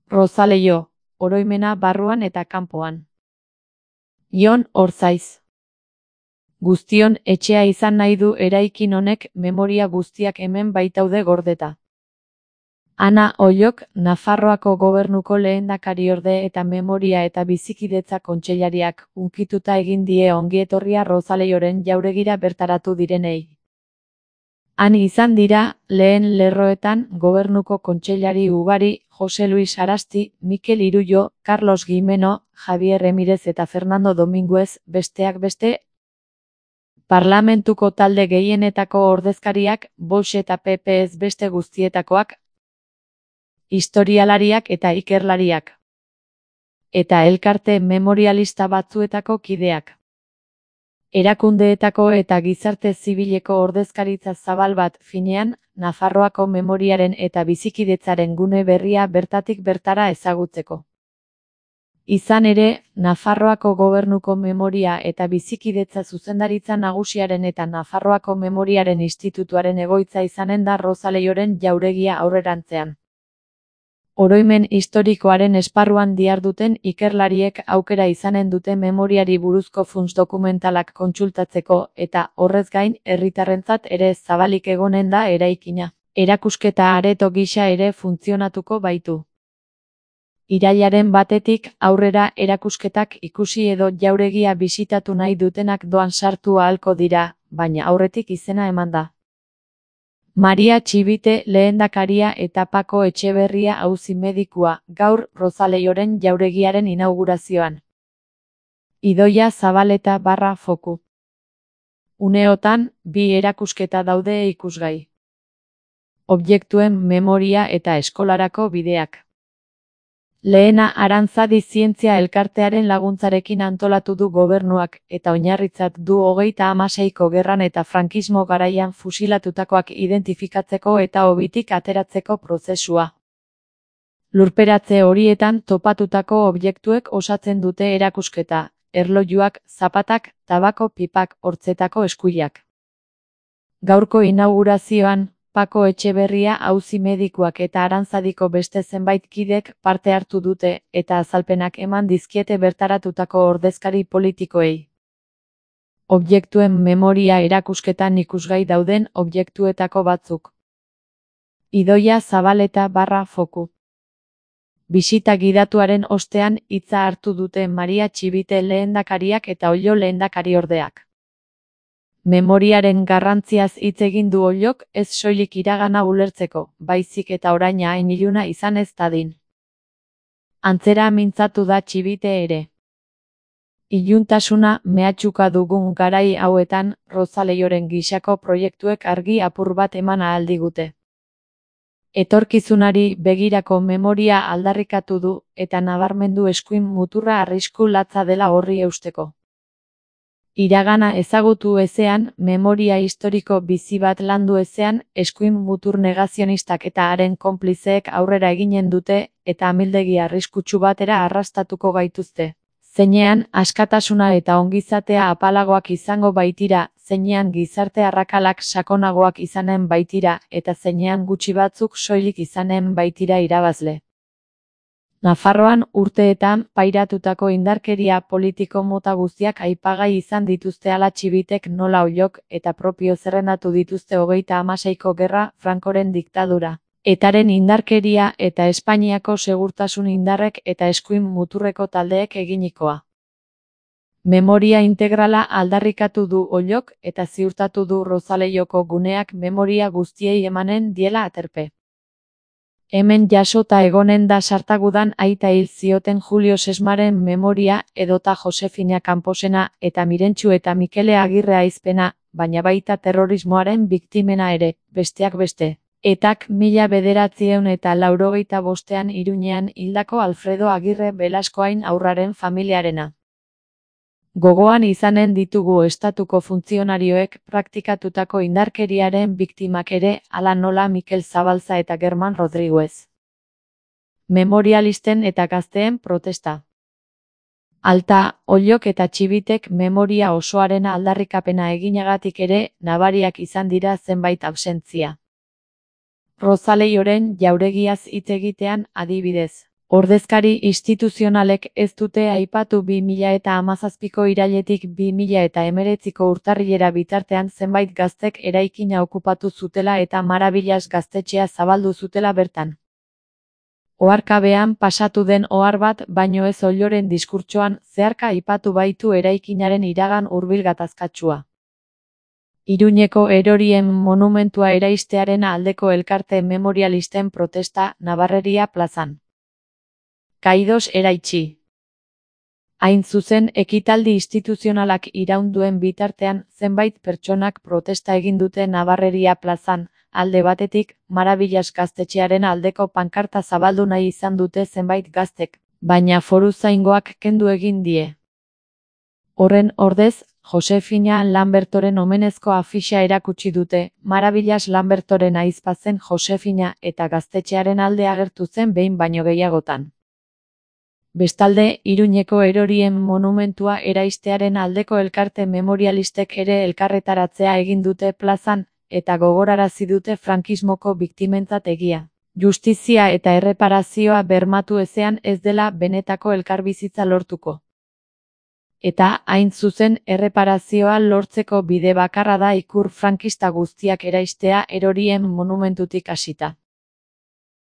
Rozaleio, oroimena barruan eta kanpoan. Jon Orzaiz. Guztion etxea izan nahi du eraikin honek, memoria guztiak hemen baitaude gordeta. Ana Ollok, Nafarroako Gobernuko lehendakariorde eta Memoria eta Bizikidetza kontseilariak, hunkituta egin die ongietorria Rozaleioren jauregira bertaratu direnei. Han izan dira, lehen lerroetan, Gobernuko kontseilari ugari, Jose Luis Arasti, Mikel Irullo, Carlos Gimeno, Javier Remirez eta Fernando Dominguez, besteak beste, parlamentuko talde gehienetako ordezkariak, Vox eta PP ez beste guztietakoak, historialariak eta ikerlariak, eta elkarte memorialista batzuetako kideak. Erakundeetako eta gizarte zibileko ordezkaritza zabal bat, finean, Nafarroako memoriaren eta bizikidetzaren gune berria bertatik bertara ezagutzeko. Izan ere, Nafarroako Gobernuko Memoria eta Bizikidetza zuzendaritza nagusiaren eta Nafarroako Memoriaren Institutuaren egoitza izanen da Rozaleioren jauregia aurrerantzean. Oroimen historikoaren esparruan diharduten ikerlariek aukera izanen dute memoriari buruzko funts dokumentalak kontsultatzeko eta, horrez gain, herritarrentzat ere zabalik egonen da eraikina. Erakusketa areto gisa ere funtzionatuko baitu. Irailaren 1 aurrera erakusketak ikusi edo jauregia bisitatu nahi dutenak doan sartu ahalko dira, baina aurretik izena eman da. Maria Txibite lehendakaria eta Pako Etxeberria auzi medikua, gaur Rozaleioren jauregiaren inaugurazioan. Idoia Zabaleta /foku. Uneotan, 2 erakusketa daude ikusgai. Objektuen memoria eta eskolarako bideak. Lehena Arantzadi Zientzia Elkartearen laguntzarekin antolatu du gobernuak, eta oinarritzat du 36ko gerran eta frankismo garaian fusilatutakoak identifikatzeko eta hobitik ateratzeko prozesua. Lurperatze horietan topatutako objektuek osatzen dute erakusketa, erlojuak, zapatak, tabako pipak, hortzetako eskuilak. Gaurko inaugurazioan, Pako Etxeberria auzi medikuak eta Arantzadiko beste zenbait kidek parte hartu dute eta azalpenak eman dizkiete bertaratutako ordezkari politikoei. Objektuen memoria erakusketan ikusgai dauden objektuetako batzuk. Idoia Zabaleta /foku. Bisita gidatuaren ostean hitza hartu dute Maria Txibite lehendakariak eta Ollo lehendakariordeak. Memoriaren garrantziaz hitz egin du Ollok, ez soilik iragana ulertzeko, baizik eta oraina hain iluna izan ez dadin. Antzera mintzatu da Txibite ere. Iluntasuna mehatxuka dugun garai hauetan, Rozaleioren gisako proiektuek argi apur bat eman ahal digute. Etorkizunari begirako memoria aldarrikatu du, eta nabarmendu eskuin muturra arrisku latza dela horri eusteko. Iragana ezagutu ezean, memoria historiko bizi bat landu ezean, eskuin mutur negazionistak eta haren konplizeek aurrera eginen dute, eta amildegi arriskutsu batera arrastatuko gaituzte. Zeinean, askatasuna eta ongizatea apalagoak izango baitira, zeinean gizarte arrakalak sakonagoak izanen baitira, eta zeinean gutxi batzuk soilik izanen baitira irabazle. Nafarroan urteetan pairatutako indarkeria politiko mota guztiak aipagai izan dituzte ala Txibitek nola Ollok eta propio zerrendatu dituzte 36ko gerra, Francoren diktadura, etaren indarkeria eta Espainiako segurtasun indarrek eta eskuin muturreko taldeek eginikoa. Memoria integrala aldarrikatu du Ollok eta ziurtatu du Rozaleioko guneak memoria guztiei emanen diela aterpe. Hemen jasota egonen da Sartagudan aita hil zioten Julio Sesmaren memoria edota Josefina Camposena eta Mirentxu eta Mikele Agirre aizpena, baina baita terrorismoaren biktimena ere, besteak beste. Etak 1985 Iruñean hildako Alfredo Agirre Belaskoain aurraren familiarena. Gogoan izanen ditugu estatuko funtzionarioek praktikatutako indarkeriaren biktimak ere, hala nola Mikel Zabalza eta German Rodriguez. Memorialisten eta gazteen protesta. Alta, Ollok eta Txibitek memoria osoaren aldarrikapena eginagatik ere, nabariak izan dira zenbait absentzia. Rozaleioren jauregiaz hitz egitean, adibidez. Ordezkari instituzionalek ez dute aipatu 2017ko irailetik 2019ko urtarrilera bitartean zenbait gaztek eraikina okupatu zutela eta Maravillas gaztetxea zabaldu zutela bertan. Oharkabean pasatu den ohar bat baino ez Olloren diskurtsoan zeharka aipatu baitu eraikinaren iragan hurbil gatazkatsua. Iruñeko erorien monumentua eraistearen aldeko elkarte memorialisten protesta Nabarreria plazan. Kaidos eraitsi. Hain zuzen ekitaldi instituzionalak iraun duen bitartean zenbait pertsonak protesta egin dute Nabarreria plazan, alde batetik, Maravillas gaztetxearen aldeko pankarta zabaldu nahi izan dute zenbait gaztek, baina foruzaingoak kendu egin die. Horren ordez, Josefina Lambertoren omenezko afixa erakutsi dute, Maravillas Lambertoren ahizpa zen Josefina eta gaztetxearen alde agertu zen behin baino gehiagotan. Bestalde, Iruñeko erorien monumentua eraistearen aldeko elkarte memorialistek ere elkarretaratzea egin dute plazan, eta gogorarazi dute frankismoko biktimentzat egia, justizia eta erreparazioa bermatu ezean ez dela benetako elkarbizitza lortuko. Eta, hain zuzen, erreparazioa lortzeko bide bakarra da ikur frankista guztiak eraistea erorien monumentutik hasita.